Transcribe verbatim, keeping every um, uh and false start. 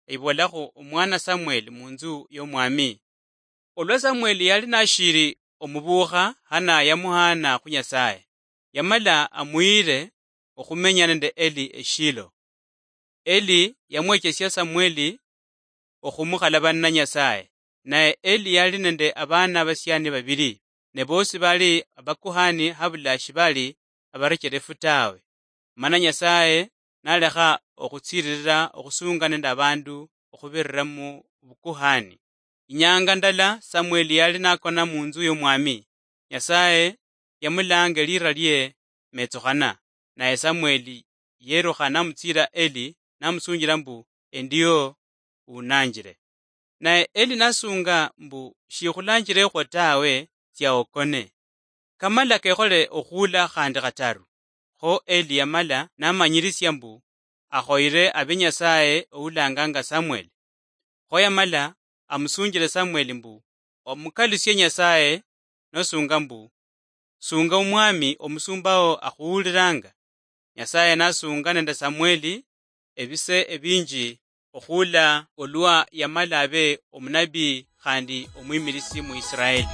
eyibolakhu omwana Samweli munzu yomwami. Olwa Samweli yali nashiri omubuukha, Hana yamuhaana khu Nyasaye, yamala amuyire okhumenya nende Eli eShilo. Eli yamwechesia Samweli okhumukhalabanila Nyasaye, naye Eli yali nende abaana abasiani babili, ne bosi bali abakuhani habula shibali abarecherefu tawe. Mana Nyasaye nalekha okhutsiririra okhusunga nende abandu okhubirira mu bukuhani. Inyanga ndala Samweli yali nakona munzu yomwami, Nyasaye yamulanga elira lie Metsukhana, naye Samweli yerukha namutsira Eli namusunjira mbu, "Endio unanjire." Naye Eli nasunga mbu, "Shikhulanjirekhwo tawe, tsia okone." Kamala kekhole okhuula khandi khataru. Kho Eli yamala namanyirisia mbu akhoyere abe Nyasaye oulanganga Samweli. Kho yamala amusunjire Samweli mbu, "Omukalusie Nyasaye nosunga mbu, 'Sunga omwami omusumbawo akhuhuliranga.'" Nyasaye nasunga nende Samweli ebise ebinji okhuula olwa yamala abe omunabii khandi omwimirisi mu Israeli.